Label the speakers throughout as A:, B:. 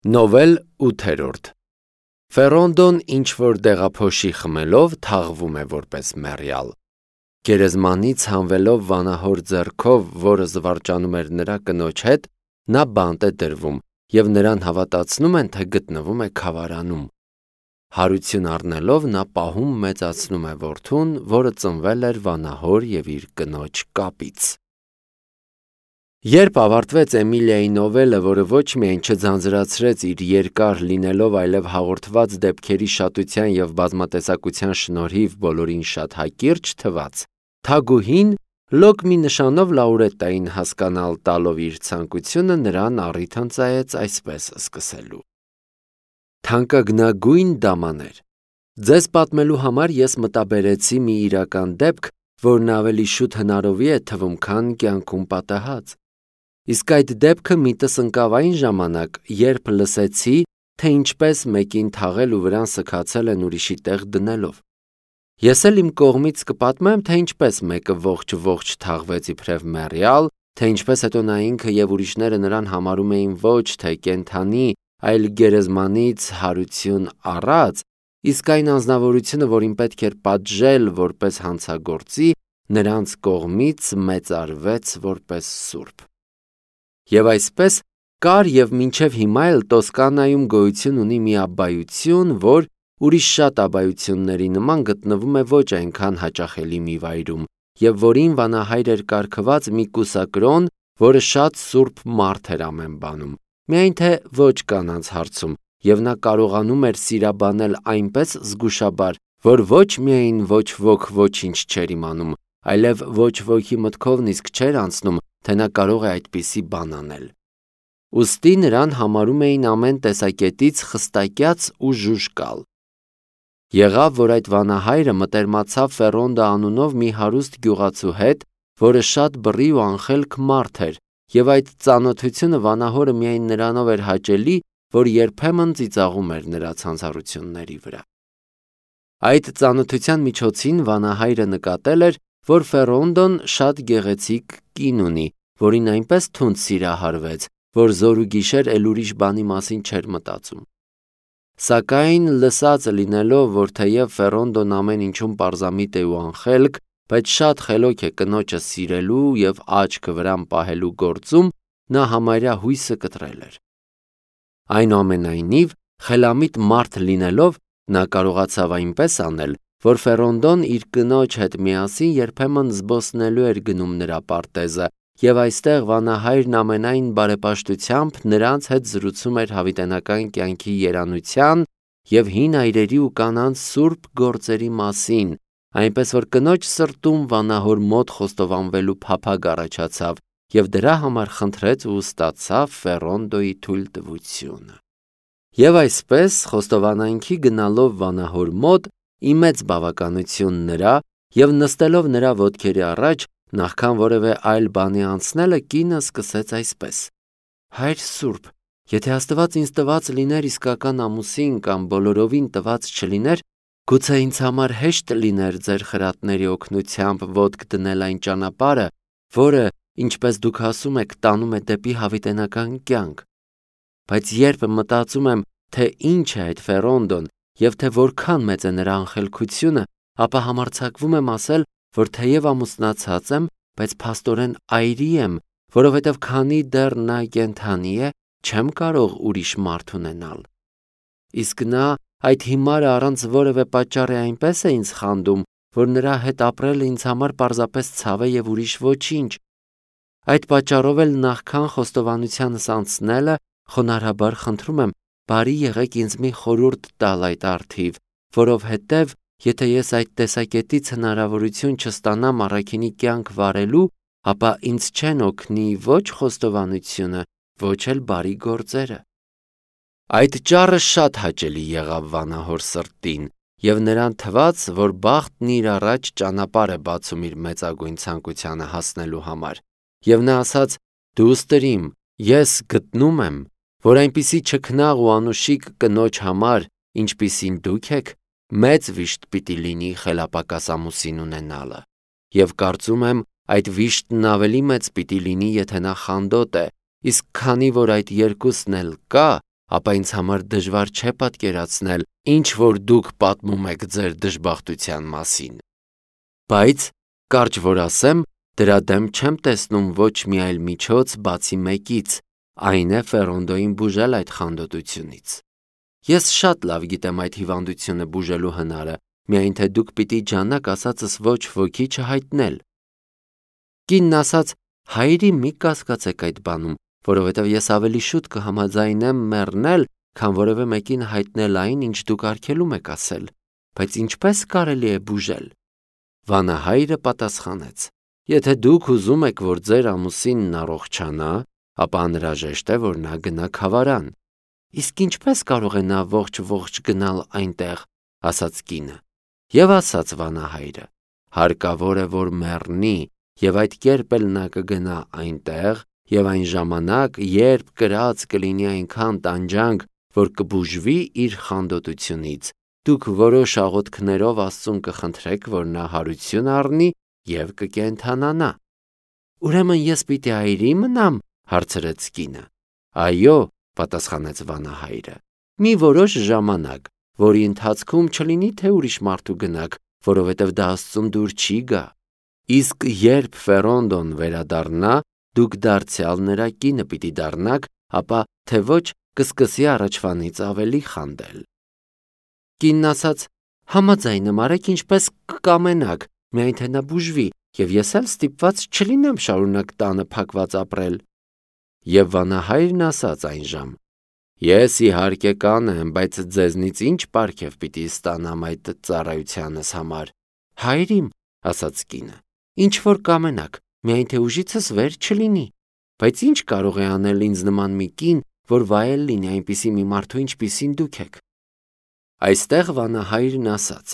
A: Նովել 8-րդ Ֆերոնդոն ինչ-որ դեղափոշի խմելով թաղվում է որպես մեռյալ։ Գերեզմանից հանվելով վանահոր ձեռքով, որը զվարճանում էր նրա կնոջ հետ, նա բանտ է դրվում, և նրան հավատացնում են, թե գտնվում է քավարանում։ Հարություն առնելով նա պահում մեծացնում է որդուն, որը ծնվել էր վանահոր և իր կնոջ կապից։ Երբ ավարտվեց Էմիլիայի նովելը, որը ոչ միայն չձանձրացրեց իր երկար լինելով, այլև հաղորդված դեպքերի շատության և բազմատեսակության շնորհիվ բոլորին շատ հակիրճ թվաց, թագուհին լոկ մի նշանով լաուրետային հասկանալ տալով իր ցանկությունը նրան առիթ ընծայեց այսպես սկսելու. Թանկագնագույն դամաներ, ձեզ պատմելու համար ես մտաբերեցի մի իրական դեպք, որն ավելի շուտ հնարովի է թվում, քան կյանքում պատահած։ Իսկ այդ դեպքը միտս ընկավ այն ժամանակ, երբ լսեցի, թե ինչպես մեկին թաղել ու վրան սգացել են ուրիշի տեղ դնելով։ Ես էլ իմ կողմից կպատմեմ, թե ինչպես մեկը ողջ թաղվեց իբրև մեռյալ, թե ինչպես հետո նա ինքը և ուրիշները նրան համարում էին ոչ թե կենդանի, այլ գերեզմանից հարություն առած, իսկ այն անձնավորությունը, որին պետք էր պատժել որպես հանցագործի, նրանց կողմից մեծարվեց որպես սուրբ։ Եվ այսպես կար և մինչև հիմա էլ Տոսկանայում գոյություն ունի մի աբբայություն, որ ուրիշ շատ աբբայությունների նման գտնվում է ոչ այնքան հաճախելի մի վայրում, և որին վանահայր էր կարգված մի կուսակրոն, որը շատ սուրբ մարդ էր ամեն բանում, միայն թե ոչ կանանց հարցում, և նա կարողանում էր սիրաբանել այնպես զգուշաբար, որ ոչ միայն ոչ ոք ոչինչ չէր իմանում, այլև ոչ ոքի մտքով նիսկ չէր անցնում, թե նա կարող է այդպիսի բան անել։ Ուստի նրան համարում էին ամեն տեսակետից խստակյաց ու ժուժկալ։ Եղավ, որ այդ վանահայրը մտերմացավ Ֆերոնդո անունով մի հարուստ գյուղացու հետ, որը շատ բռի ու անխելք մարդ էր, և այդ ծանոթությունը վանահորը միայն նրանով էր հաճելի, որ երբեմն ծիծաղում էր նրա ցանցառությունների վրա։ Այդ ծանոթության միջոցին վանահայրը նկատել էր, որ Ֆերոնդոն շատ գեղեցիկ կին ունի, որին այնպես թունդ սիրահարվեց, որ զոր ու գիշեր էլ ուրիշ բանի մասին չէր մտածում։ Սակայն լսած լինելով, որ թեև Ֆերոնդոն ամեն ինչում պարզամիտ է ու անխելք, բայց շատ խելոք է կնոջը սիրելու և աչքը վրան պահելու գործում, նա համարյա հույսը կտրել էր։ Այնուամենայնիվ, խելամիտ մարդ լինելով, նա կարողացավ այնպես անել, որ Ֆերոնդոն իր կնոջ հետ միասին երբեմն զբոսնելու էր գնում նրա պարտեզը, և այստեղ վանահայրն ամենայն բարեպաշտությամբ նրանց հետ զրուցում էր հավիտենական կյանքի երանության և հին այրերի ու կանանց սուրբ գործերի մասին, այնպես որ կնոջ սրտում վանահոր մոտ խոստովանվելու փափագ առաջացավ, և դրա համար խնդրեց ու ստացավ Ֆերոնդոյի թույլտվությունը։ Եվ այսպես, խոստովանանքի գնալով վանահոր մոտ, ի մեծ բավականություն նրա, և նստելով նրա ոտքերի առաջ, նախքան որևէ այլ բանի անցնելը, կինը սկսեց այսպես. Հայր սուրբ, եթե Աստված ինձ տված լիներ իսկական ամուսին կամ բոլորովին տված չլիներ, գուցե ինձ համար հեշտ լիներ ձեր խրատների օգնությամբ ոտք դնել այն ճանապարհը, որը, ինչպես դուք ասում եք, տանում է դեպի հավիտենական կյանք։ Բայց երբ մտածում եմ, թե ինչ է այդ Ֆերոնդոն և թե որքան մեծ է նրա անխելքությունը, ապա համարձակվում եմ ասել, որ թեև ամուսնացած եմ, բայց փաստորեն այրի եմ, որովհետև քանի դեռ նա կենդանի է, չեմ կարող ուրիշ մարդ ունենալ։ Իսկ նա այդ հիմարը առանց որևէ պատճառի այնպես է ինձ խանդում, որ նրա հետ ապրելը ինձ համար պարզապես ցավ է և ուրիշ ոչինչ։ Այդ պատճառով էլ նախքան խոստովանությանս անցնելը, խոնարհաբար խնդրում եմ, բարի եղեք ինձ մի խորհուրդ տալ այդ առթիվ, որովհետև եթե ես այդ տեսակետից հնարավորություն չստանամ առաքինի կյանք վարելու, ապա ինձ չեն օգնի ոչ խոստովանությունը, ոչ էլ բարի գործերը։ Այդ ճառը շատ հաճելի եղավ վանահոր սրտին, և նրան թվաց, որ բախտն իր առաջ ճանապարհ է բացում իր մեծագույն ցանկությանը հասնելու համար, և նա ասաց. «Դու ուստրիմ, ես գտնում եմ, որ այնպիսի չքնաղ ու անուշիկ կնոջ համար, ինչպիսին դուք եք, մեծ վիշտ պիտի լինի խելապակաս ամուսին ունենալը, և կարծում եմ, այդ վիշտն ավելի մեծ պիտի լինի, եթե նա խանդոտ է, իսկ քանի որ այդ երկուսն էլ կա, ապա ինձ համար դժվար չէ պատկերացնել, ինչ որ դուք պատմում եք ձեր դժբախտության մասին։ Բայց, կարճ որ ասեմ, դրա դեմ չեմ տեսնում ոչ մի այլ միջոց բացի մեկից, այն է Ֆերոնդոյին բուժել այդ խանդոտությունից։ Ես շատ լավ գիտեմ այդ հիվանդությունը բուժելու հնարը, միայն թե դուք պիտի ջանաք ասածս ոչ ոքի չհայտնել։ Կինն ասաց. հայրի մի կասկածեք այդ բանում, որովհետև ես ավելի շուտ կհամաձայնեմ մեռնել, քան որևէ մեկին հայտնել այն, ինչ դուք արգելում եք ասել, բայց ինչպես կարելի է բուժել։ Վանահայրը պատասխանեց. եթե դուք ուզում եք, որ ձեր ամուսինն առողջանա, ապա անհրաժեշտ է, որ նա գնա քավարան։ Իսկ ինչպես կարող է նա ողջ գնալ այնտեղ, ասաց կինը։ Եվ ասաց վանահայրը. հարկավոր է, որ մեռնի, եւ այդ կերպ էլ նա կգնա այնտեղ, եւ այն ժամանակ, երբ կրած կլինի այնքան տանջանք, որ կբուժվի իր խանդոտությունից, դուք որոշ աղոթքներով Աստծուն կխնդրեք, որ նա հարություն առնի եւ կկենդանանա։ Ուրեմն ես պիտի այրի մնամ, հարցրեց կինը։ Այո, պատասխանեց վանահայրը, մի որոշ ժամանակ, որի ընթացքում չլինի թե ուրիշ մարդու գնաք, որովհետև դա Աստծուն դուր չի գա։ Իսկ երբ Ֆերոնդոն վերադառնա, դուք դարձյալ նրա կինը պիտի դառնաք, ապա թե ոչ կսկսի առաջվանից ավելի խանդել։ Կինն ասաց. համաձայն եմ, արեք ինչպես կկամենաք, միայն թե նա բուժվի, եւ ես էլ ստիպված չլինեմ շարունակ տանը փակված ապրել։ Եվ վանահայրն ասաց այնժամ. ես իհարկե կանեմ, բայց ձեզնից ինչ պարգև պիտի ստանամ այդ ծառայությանս համար։ Հայրիմ, ասաց կինը, ինչ որ կամենաք, միայն թե ուժիցս վեր չլինի, բայց ինչ կարող է անել ինձ նման մի կին, որ վայել լինի այնպիսի մի մարդու, ինչպիսին դուք եք։ Այստեղ վանահայրն ասաց.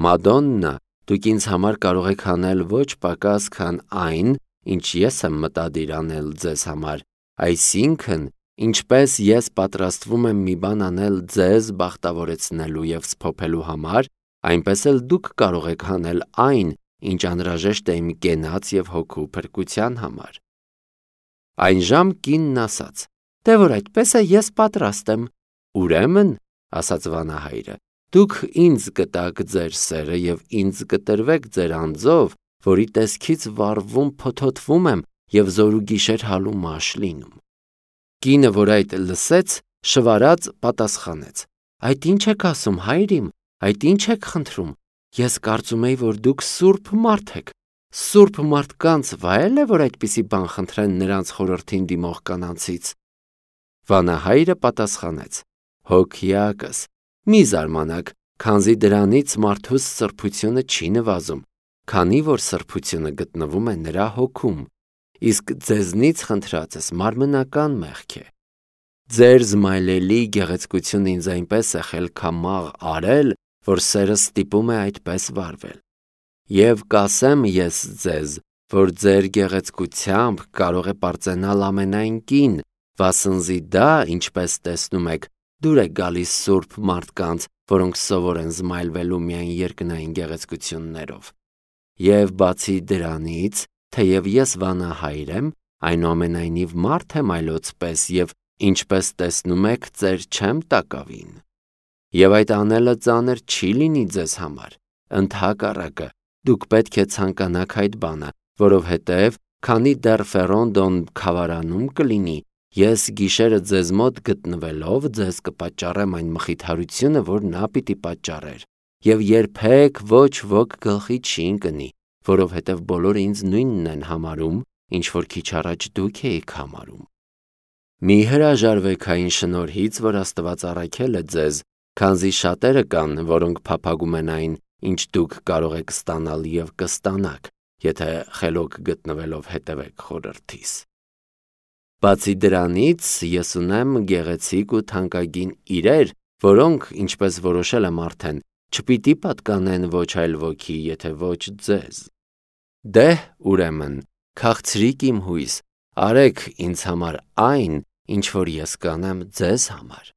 A: Մադոննա, դուք ինձ համար կարող եք անել ոչ պակաս, քան այն, ինչ ես եմ մտադիր անել ձեզ համար, այսինքն, ինչպես ես պատրաստվում եմ մի բան անել ձեզ բախտավորեցնելու եւ սփոփելու համար, այնպես էլ դուք կարող եք անել այն, ինչ անհրաժեշտ է իմ կենաց եւ հոգու փրկության համար։ Այնժամ կինն ասաց. դե որ այդպես է, ես պատրաստ եմ։ Ուրեմն, ասաց վանահայրը, դուք ինձ կտաք ձեր սերը եւ ինձ կտրվեք ձեր անձով, որի տեսքից վառվում փոթոթվում եմ եւ զորուգիշեր հալու մաշ լինում։ Կինը, որ այդ լսեց, շվարած պատասխանեց. այդ ինչ եք ասում, հայրիմ, այդ ինչ եք խնդրում։ Ես կարծում էի, որ դուք սուրբ մարդ եք։ Սուրբ մարդկանց վայել է, որ այդպիսի բան խնդրեն նրանց խորհրդին դիմող կանանցից։ Վանահայրը պատասխանեց. հոգիակս, մի զարմանաք, քանզի դրանից մարդուս սրբությունը չի նվազում, քանի որ սրբությունը գտնվում է նրա հոգում, իսկ ձեզնից խնդրածս մարմնական մեղք է։ Ձեր զմայլելի գեղեցկությունը ինձ այնպես է խելքամաղ արել, որ սերը ստիպում է այդպես վարվել։ Եվ կասեմ ես ձեզ, որ ձեր գեղեցկությամբ կարող է պարծենալ ամենայն կին, վասնզի դա, ինչպես տեսնում եք, դուր է գալիս սուրբ մարդկանց, որոնք սովոր են զմայլվելու միայն երկնային գեղեցկություններով։ Եվ բացի դրանից, թեև ես վանահայր եմ, այնուամենայնիվ մարդ եմ այլոց պես եւ ինչպես տեսնում եք, ծեր չեմ տակավին։ Եվ այդ անելը ծանր չի լինի ձեզ համար, ընդհակառակը, դուք պետք է ցանկանաք այդ բանը, որովհետև քանի դեռ Ֆերոնդոն քավարանում կլինի, ես գիշերը ձեզ մոտ գտնվելով ձեզ կպատճառեմ այն մխիթարությունը, որ նա պիտի պատճառեր, եւ երբեք ոչ ոք գլխի չի ընկնի, որովհետև բոլորը ինձ նույնն են համարում, ինչ որ քիչ առաջ դուք էիք համարում։ Մի հրաժարվեք այն շնորհից, որ Աստված առաքել է ձեզ, քանզի շատերը կան, որոնք փափագում են այն, ինչ դուք կարող եք ստանալ եւ կստանաք, եթե խելոք գտնվելով հետևեք խորհրդիս։ Բացի դրանից, ես ունեմ գեղեցիկ ու թանկագին իրեր, որոնք, ինչպես որոշել եմ արդեն, չպիտի պատկանեն ոչ այլ ոքի, եթե ոչ ձեզ։ Դե, ուրեմն, քաղցրիկ իմ հույս, արեք ինձ համար այն, ինչ որ ես կանեմ ձեզ համար։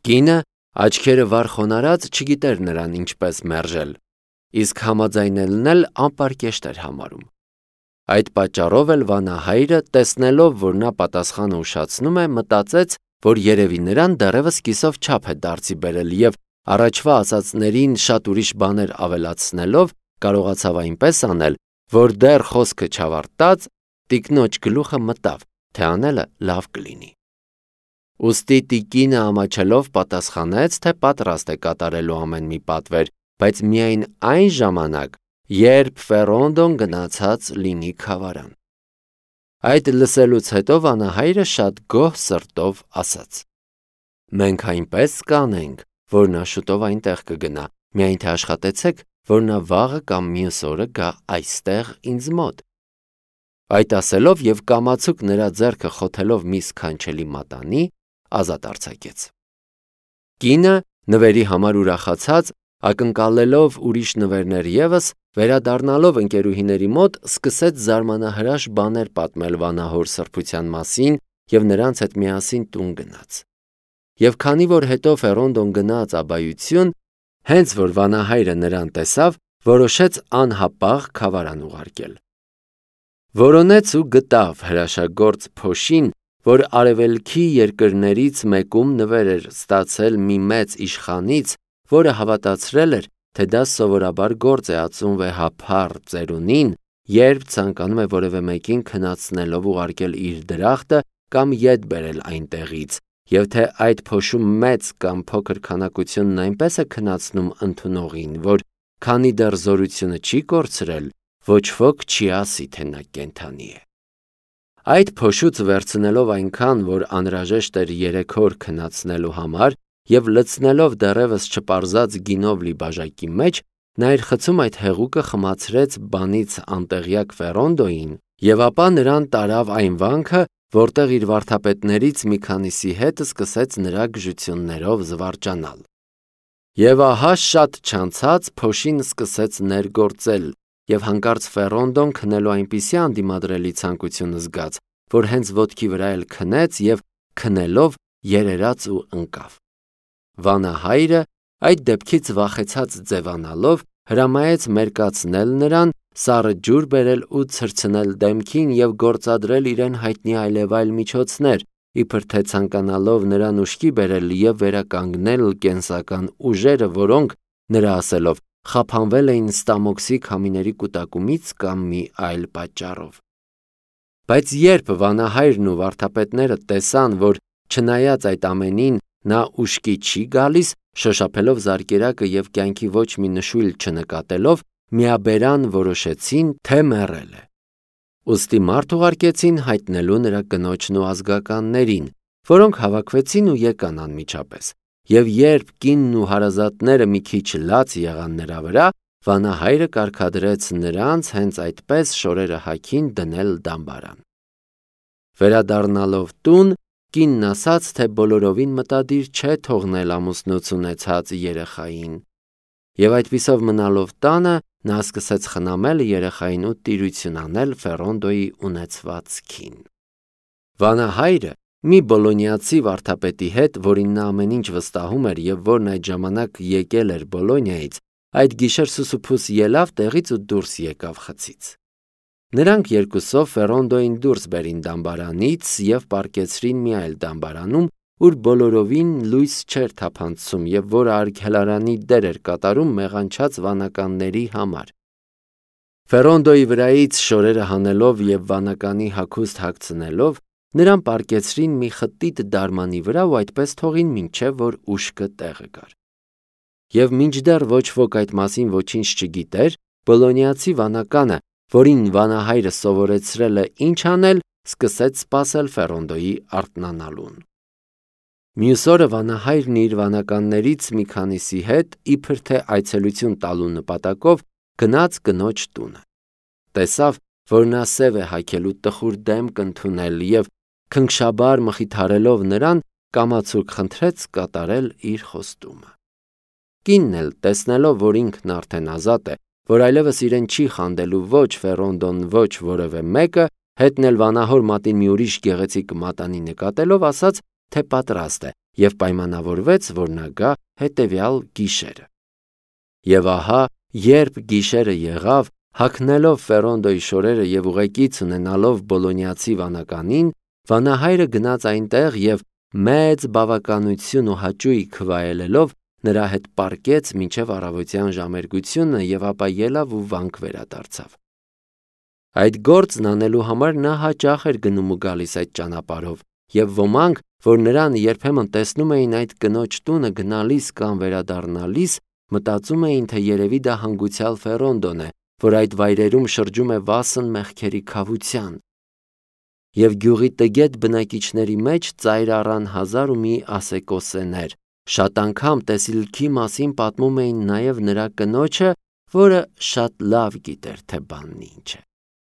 A: Կինը, աչքերը վար խոնարհած, չգիտեր նրան ինչպես մերժել, իսկ համաձայնելն էլ անպարկեշտ էր համարում։ Այդ պատճառով էլ վանահայրը, տեսնելով, որ նա պատասխանը ուշացնում է, մտածեց, որ երևի նրան դեռևս կիսով չափ է դարձի բերել և առաջվա ասածներին շատ ուրիշ բաներ ավելացնելով կարողացավ այնպես անել, որ դեռ խոսքը չավարտած տիկնոջ գլուխը մտավ, թե անելը լավ կլինի։ Ուստի տիկինը ամաչելով պատասխանեց, թե պատրաստ է կատարելու ամեն մի պատվեր, բայց միայն այն ժամանակ, երբ Ֆերոնդոն գնացած լինի քավարան։ Այդ լսելուց հետո վանահայրը շատ գոհ սրտով ասաց. «Մենք այնպես կանենք, որ նա շուտով այնտեղ կգնա, միայն թե աշխատեցեք, որ նա վաղը կամ մյուս օրը գա այստեղ ինձ մոտ»։ Այդ ասելով և կամացուկ նրա ձեռքը խոթելով մի սքանչելի մատանի, ազատ արձակեց։ Կինը, նվերի համար ուրախացած, ակնկալելով ուրիշ նվերներ ևս, վերադառնալով ընկերուհիների մոտ, սկսեց զարմանահրաշ բաներ պատմել վանահոր սրբության մասին և նրանց հետ միասին տուն գնաց։ Եվ քանի որ հետո Ֆերոնդոն գնաց աբայություն, հենց որ վանահայրը նրան տեսավ, որոշեց անհապաղ քավարան ուղարկել։ Որոնեց ու գտավ հրաշագործ փոշին, որ արևելքի երկրներից մեկում նվեր էր ստացել մի մեծ իշխանից, որը հավատացրել էր, թե դա սովորաբար գործ է ածում վեհափառ ծերունին, երբ ցանկանում է որևէ մեկին քնացնելով ուղարկել իր դրախտը կամ ետ բերել այնտեղից, և թե այդ փոշում մեծ կամ փոքր քանակությունն այնպես է քնացնում ընդունողին, որ քանի դեռ զորությունը չի կորցրել, ոչ ոք չի ասի, թե նա կենդանի է։ Այդ փոշուց վերցնելով այնքան, որ անհրաժեշտ էր 3 օր քնացնելու համար, և լցնելով դեռևս չպարզած գինով լի բաժակի մեջ, նա իր խցում այդ հեղուկը խմացրեց բանից անտեղյակ Ֆերոնդոյին, և ապա նրան տարավ այն վանքը, որտեղ իր վարդապետներից մի քանիսի հետ սկսեց նրա գժություններով զվարճանալ։ Եվ ահա շատ չանցած փոշին սկսեց ներգործել, և հանկարծ Ֆերոնդոն քնելու այնպիսի անդիմադրելի ցանկություն զգաց, որ հենց ոտքի վրա էլ քնեց և քնելով երերաց ու ընկավ։ Վանահայրը այդ դեպքից վախեցած ձևանալով հրամայեց մերկացնել նրան, սառը ջուր բերել ու ցրցնել դեմքին և գործադրել իրեն հայտնի այլևայլ միջոցներ, իբր թե ցանկանալով նրան ուշքի բերել և վերականգնել կենսական ուժերը, որոնք, նրա ասելով, խափանվել էին Ստամոքսի քամիների կուտակումից կամ մի այլ պատճառով։ Բայց երբ վանահայրն ու վարդապետները տեսան, որ չնայած այդ ամենին նա ուշքի չի գալիս, շոշափելով զարկերակը և կյանքի ոչ մի նշույլ չնկատելով, միաբերան որոշեցին, թե մեռել է։ Ուստի մարդ ուղարկեցին հայտնելու նրա կնոջն ու ազգականներին, որոնք հավաքվեցին ու եկան անմիջապես, և երբ կինն ու հարազատները մի քիչ լաց եղան նրա վրա, վանահայրը կարգադրեց նրանց հենց այդպես շորերը հագին դնել դամբարան։ Վերադառնալով տուն, կինն ասաց, թե բոլորովին մտադիր չէ թողնել ամուսնուց ունեցած երեխային, և այդպիսով մնալով տանը, նա սկսեց խնամել երեխային ու տիրություն անել Ֆերոնդոյի ունեցվածքին։ Վանահայրը մի բոլոնիացի վարդապետի հետ, որին նա ամեն ինչ վստահում էր և որն այդ ժամանակ եկել էր Բոլոնիայից, այդ գիշեր սուսուփուս ելավ տեղից ու դուրս եկավ խցից։ Նրանք երկուսով Ֆերոնդոյին դուրս բերին դամբարանից և պառկեցրին մի այլ դամբարանում, ուր բոլորովին լույս չէր թափանցում և որը արգելարանի դեր էր կատարում մեղանչած վանականների համար։ Ֆերոնդոյի վրայից շորերը հանելով և վանականի հագուստ հագցնելով, նրան պառկեցրին մի խտիտ դարմանի վրա ու այդպես թողին, մինչև որ ուշքը տեղը գար։ Եվ մինչդեռ ոչ ոք այդ մասին ոչինչ չգիտեր, բոլոնիացի վանականը, որին վանահայրը սովորեցրել է ինչ անել, սկսեց սպասել Ֆերոնդոյի արթնանալուն։ Մյուս օրը վանահայրն իր վանականներից մի քանիսի հետ, իբր թե այցելություն տալու նպատակով, գնաց կնոջ տունը։ Տեսավ, որ նա սև է հագել ու տխուր դեմք ընդունել և քնքշաբար մխիթարելով նրան, կամացուկ խնդրեց կատարել իր խոստումը։ Կինն էլ, տեսնելով, որ ինքն արդեն ազատ է, որ այլևս իրեն չի խանդելու ոչ Ֆերոնդոն, ոչ որևէ մեկը, հետն էլ վանահոր մատին մի ուրիշ գեղեցիկ մատանի նկատելով, ասաց, թե պատրաստ է և պայմանավորվեց, որ նա գա հետևյալ գիշերը։ Եվ ահա, երբ գիշերը եղավ, հագնելով Ֆերոնդոյի շորերը և ուղեկից ունենալով բոլոնիացի վանականին, վանահայրը գնաց այնտեղ և մեծ բավականություն ու հաճույք վայելելով նրա հետ պառկեց մինչև առավոտյան ժամերգությունը և ապա ելավ ու վանք վերադարձավ։ Այդ գործն անելու համար նա հաճախ էր գնում ու գալիս այդ ճանապարհով, և ոմանք, որ նրան երբեմն տեսնում էին այդ կնոջ տունը գնալիս կամ վերադառնալիս, մտածում էին, թե երևի դա հանգուցյալ Ֆեռոնդոն է, որ այդ վայրերում շրջում է վասն մեղքերի քավության։ Եվ գյուղի տգետ բնակիչների մեջ ծայր առան հազար ու մի ասեկոսեներ, շատ անգամ տեսիլքի մասին պատմում էին նաև նրա կնոջը, որը շատ լավ գիտեր, թե բանն ինչ է։